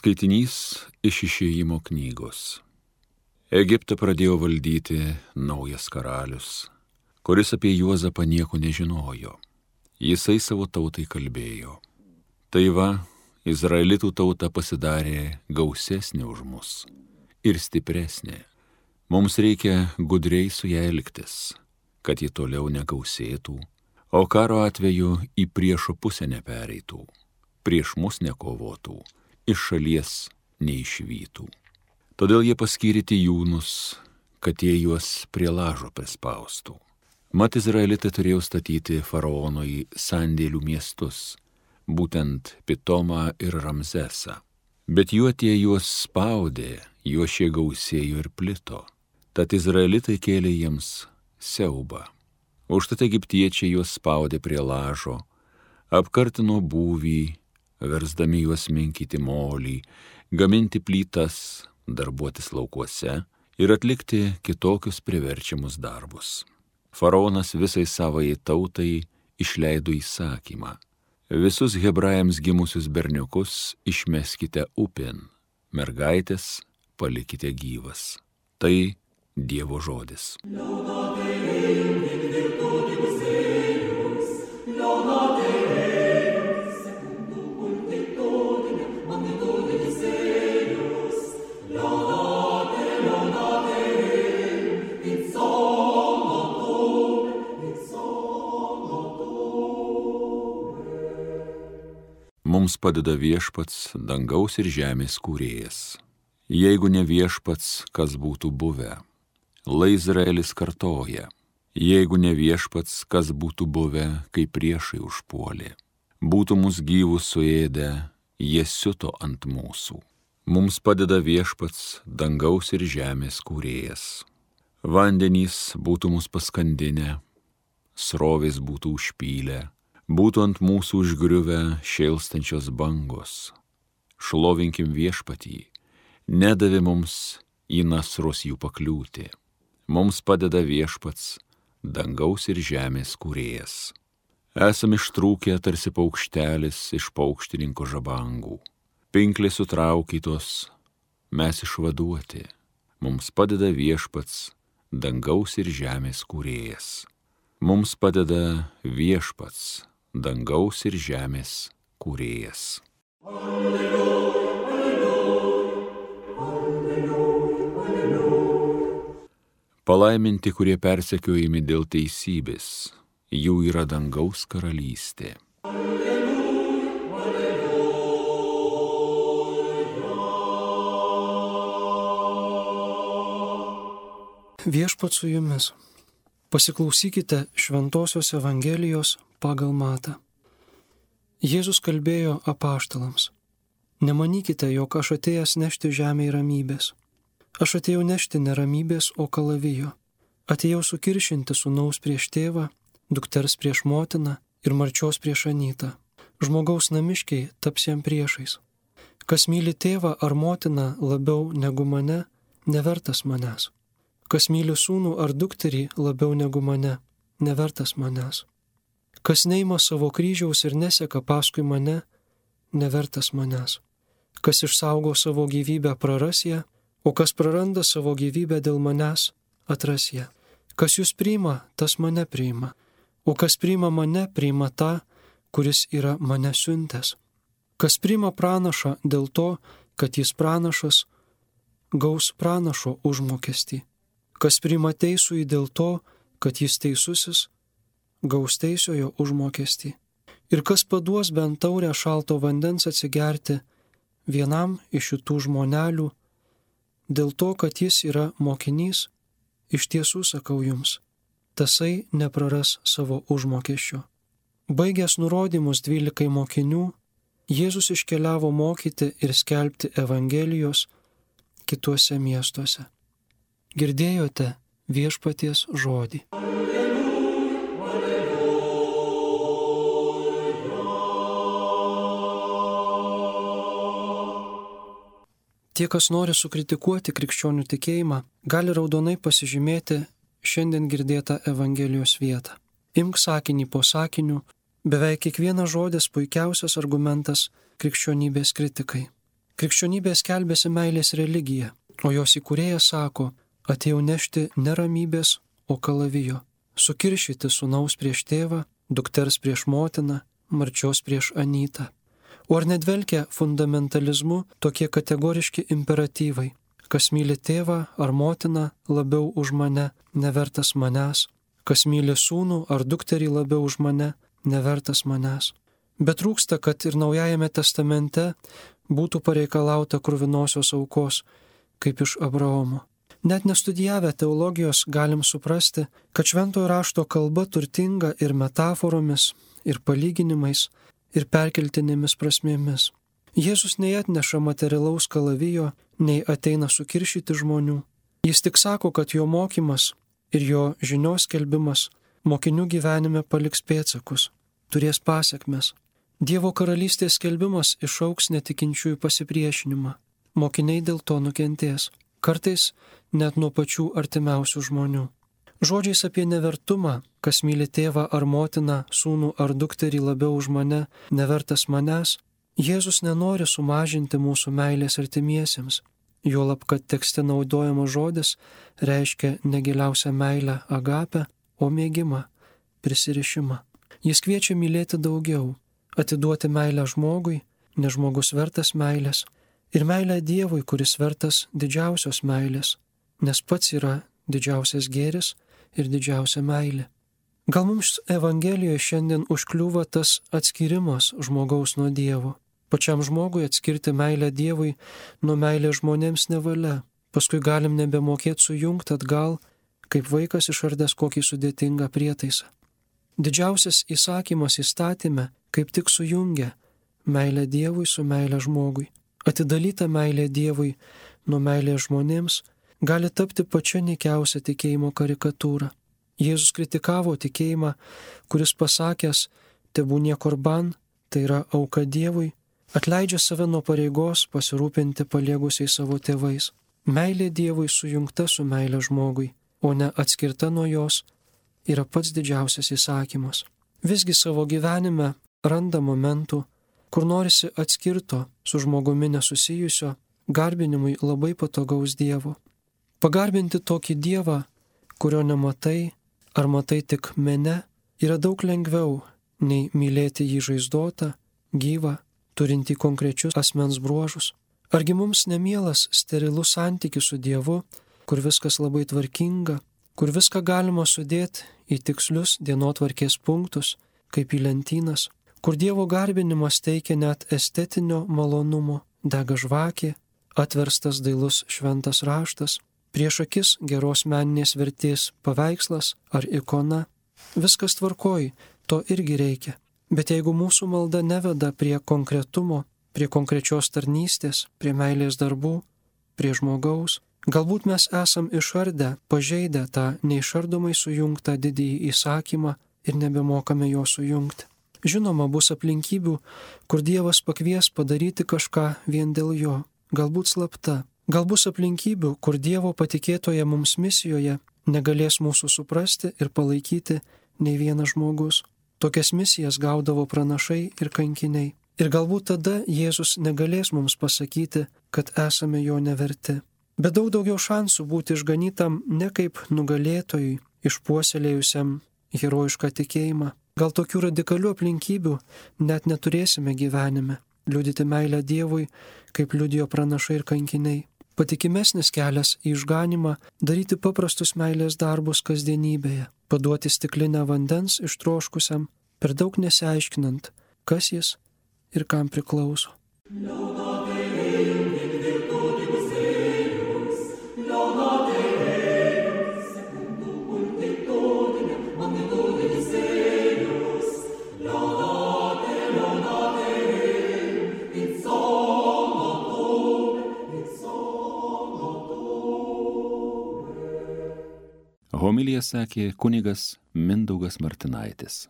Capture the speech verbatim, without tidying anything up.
Skaitinys iš Išėjimo knygos. Egiptą pradėjo valdyti naujas karalius, kuris apie Juozapą nieko nežinojo. Jisai savo tautai kalbėjo: tai va, Izraelitų tauta pasidarė gausesnė už mus ir stipresnė. Mums reikia gudriai su ją elgtis, kad ji toliau negausėtų, o karo atveju į priešo pusę nepereitų, prieš mus nekovotų, iš šalies neišvytų. Todėl jie paskyrė tijūnus, kad jie juos prie lažo prispaustų. Mat Izraelitai turėjo statyti faraonui sandėlių miestus, būtent Pitomą ir Ramzesą. Bet juo tie juos spaudė, juo šie gausėjo ir plito. Tad Izraelitai kėlė jiems siaubą. Užtat egiptiečiai juos spaudė prie lažo, apkartino būvį, versdami juos minkyti molį, gaminti plytas, darbuotis laukuose ir atlikti kitokius priverčiamus darbus. Faraonas visai savai tautai išleido įsakymą: visus hebrajams gimusius berniukus išmeskite upėn, mergaitės palikite gyvas. Tai Dievo žodis. Mums padeda Viešpats, dangaus ir žemės kūrėjas. Jeigu ne Viešpats, kas būtų buvę? Lai Izraelis kartoja: jeigu ne Viešpats, kas būtų buvę, kai priešai užpuolė? Būtų mus gyvus suėdę, jie siuto ant mūsų. Mums padeda Viešpats, dangaus ir žemės kūrėjas. Vandenys būtų mus paskandinę, srovės būtų užpylę, būtų ant mūsų užgriuvę šėlstančios bangos. Šlovinkim Viešpatį, nedavė mums į nasrus jų pakliūti. Mums padeda Viešpats, dangaus ir žemės kūrėjas. Esam ištrūkę tarsi paukštelis iš paukštininko žabangų. Pinklės sutraukytos, mes išvaduoti. Mums padeda Viešpats, dangaus ir žemės kūrėjas. Mums padeda Viešpats, dangaus ir žemės kūrėjas. Alleluja, alleluja, alleluja, alleluja. Palaiminti, kurie persekiojami dėl teisybės, jų yra dangaus karalystė. Alleluja, alleluja. Viešpats su jumis. Pasiklausykite Šventosios Evangelijos pagal Matą. Jėzus kalbėjo apaštalams: nemanykite, jog aš atėjęs nešti žemėj ramybės. Aš atėjau nešti ne ramybės, o kalavijo. Atėjau sukiršinti sūnaus prieš tėvą, dukters prieš motiną ir marčios prieš anytą. Žmogaus namiškiai taps jam priešais. Kas myli tėvą ar motiną labiau negu mane, nevertas manęs. Kas myli sūnų ar dukterį labiau negu mane, nevertas manęs. Kas neima savo kryžiaus ir neseka paskui mane, nevertas manęs. Kas išsaugo savo gyvybę, praras ją, o kas praranda savo gyvybę dėl manęs, atras ją. Kas jūs priima, tas mane priima, o kas priima mane, priima tą, kuris yra mane siuntęs. Kas priima pranašą dėl to, kad jis pranašas, gaus pranašo užmokestį. Kas priima teisųjį dėl to, kad jis teisusis, gaus teisiojo užmokestį. Ir kas paduos bent taurę šalto vandens atsigerti vienam iš šitų žmonelių, dėl to, kad jis yra mokinys, iš tiesų sakau jums, tasai nepraras savo užmokesčio. Baigęs nurodymus dvylikai mokinių, Jėzus iškeliavo mokyti ir skelbti Evangelijos kituose miestuose. Girdėjote Viešpaties žodį. Alleluja, alleluja. Tie, kas nori sukritikuoti krikščionių tikėjimą, gali raudonai pasižymėti šiandien girdėtą Evangelijos vietą. Imk sakinį po sakinių, beveik kiekvienas žodis puikiausias argumentas krikščionybės kritikai. Krikščionybė skelbėsi meilės religija, o jos įkūrėjas sako, atėjau nešti neramybės, o kalavijo, sukiršyti sūnaus prieš tėvą, dukters prieš motiną, marčios prieš anytą. O ar nedvelkia fundamentalizmu tokie kategoriški imperatyvai? Kas myli tėvą ar motiną labiau už mane, nevertas manęs. Kas myli sūnų ar dukterį labiau už mane, nevertas manęs. Bet trūksta, kad ir Naujajame testamente būtų pareikalauta kruvinosios aukos, kaip iš Abraomo. Net nestudijavę teologijos galim suprasti, kad šventojo rašto kalba turtinga ir metaforomis, ir palyginimais, ir perkeltinėmis prasmėmis. Jėzus nei atneša materialaus kalavijo, nei ateina sukiršyti žmonių. Jis tik sako, kad jo mokymas ir jo žinios skelbimas mokinių gyvenime paliks pėdsakus, turės pasekmes. Dievo karalystės skelbimas išauks netikinčiųjų pasipriešinimą. Mokiniai dėl to nukentės, kartais net nuo pačių artimiausių žmonių. Žodžiais apie nevertumą, kas myli tėvą ar motiną, sūnų ar dukterį labiau už mane, nevertas manęs, Jėzus nenori sumažinti mūsų meilės artimiesiems, juolab, kad tekste naudojamas žodis reiškia negiliausią meilę agapę, o mėgimą, prisirišimą. Jis kviečia mylėti daugiau, atiduoti meilę žmogui, nes žmogus vertas meilės, ir meilę Dievui, kuris vertas didžiausios meilės, nes pats yra didžiausias gėris ir didžiausia meilė. Gal mums Evangelijoje šiandien užkliūva tas atskirimas žmogaus nuo Dievo. Pačiam žmogui atskirti meilę Dievui nuo meilės žmonėms nevalia. Paskui galim nebemokėti sujungti atgal, kaip vaikas išardęs kokį sudėtingą prietaisą. Didžiausias įsakymas įstatyme kaip tik sujungia meilę Dievui su meilė žmogui. Atidalyta meilė Dievui nuo meilės žmonėms gali tapti pačia nykiausia tikėjimo karikatūra. Jėzus kritikavo tikėjimą, kuris pasakęs, tebūnie korban, tai yra auka Dievui, atleidžia save nuo pareigos pasirūpinti paliegusiais savo tėvais. Meilė Dievui sujungta su meilė žmogui, o ne atskirta nuo jos, yra pats didžiausias įsakymas. Visgi savo gyvenime randa momentų, kur norisi atskirto su žmogumi nesusijusio, garbinimui labai patogaus Dievo. Pagarbinti tokį Dievą, kurio nematai, ar matai tik mene, yra daug lengviau nei mylėti jį žaizdotą, gyvą, turintį konkrečius asmens bruožus. Argi mums nemielas sterilus santykis su Dievu, kur viskas labai tvarkinga, kur viską galima sudėti į tikslius dienotvarkės punktus, kaip į lentynas, kur Dievo garbinimas teikia net estetinio malonumo, dega žvakė, atverstas dailus šventas raštas, prieš akis geros meninės vertės paveikslas ar ikona. Viskas tvarkoj, to irgi reikia. Bet jeigu mūsų malda neveda prie konkretumo, prie konkrečios tarnystės, prie meilės darbų, prie žmogaus, galbūt mes esam išardę, pažeidę tą neišardomai sujungtą didįjį įsakymą ir nebemokame jo sujungti. Žinoma, bus aplinkybių, kur Dievas pakvies padaryti kažką vien dėl jo, galbūt slapta. Gal bus aplinkybių, kur Dievo patikėtoje mums misijoje negalės mūsų suprasti ir palaikyti nei vienas žmogus. Tokias misijas gaudavo pranašai ir kankiniai. Ir galbūt tada Jėzus negalės mums pasakyti, kad esame jo neverti. Bet daug daugiau šansų būti išganytam ne kaip nugalėtojui, išpuoselėjusiam herojišką tikėjimą. Gal tokių radikalių aplinkybių net neturėsime gyvenime. Liudyti meilę Dievui, kaip liudijo pranašai ir kankiniai. Patikimesnis kelias į išganimą – daryti paprastus meilės darbus kasdienybėje, paduoti stiklinę vandens ištroškusiam, per daug nesiaiškinant, kas jis ir kam priklauso. Homiliją sakė kunigas Mindaugas Martinaitis.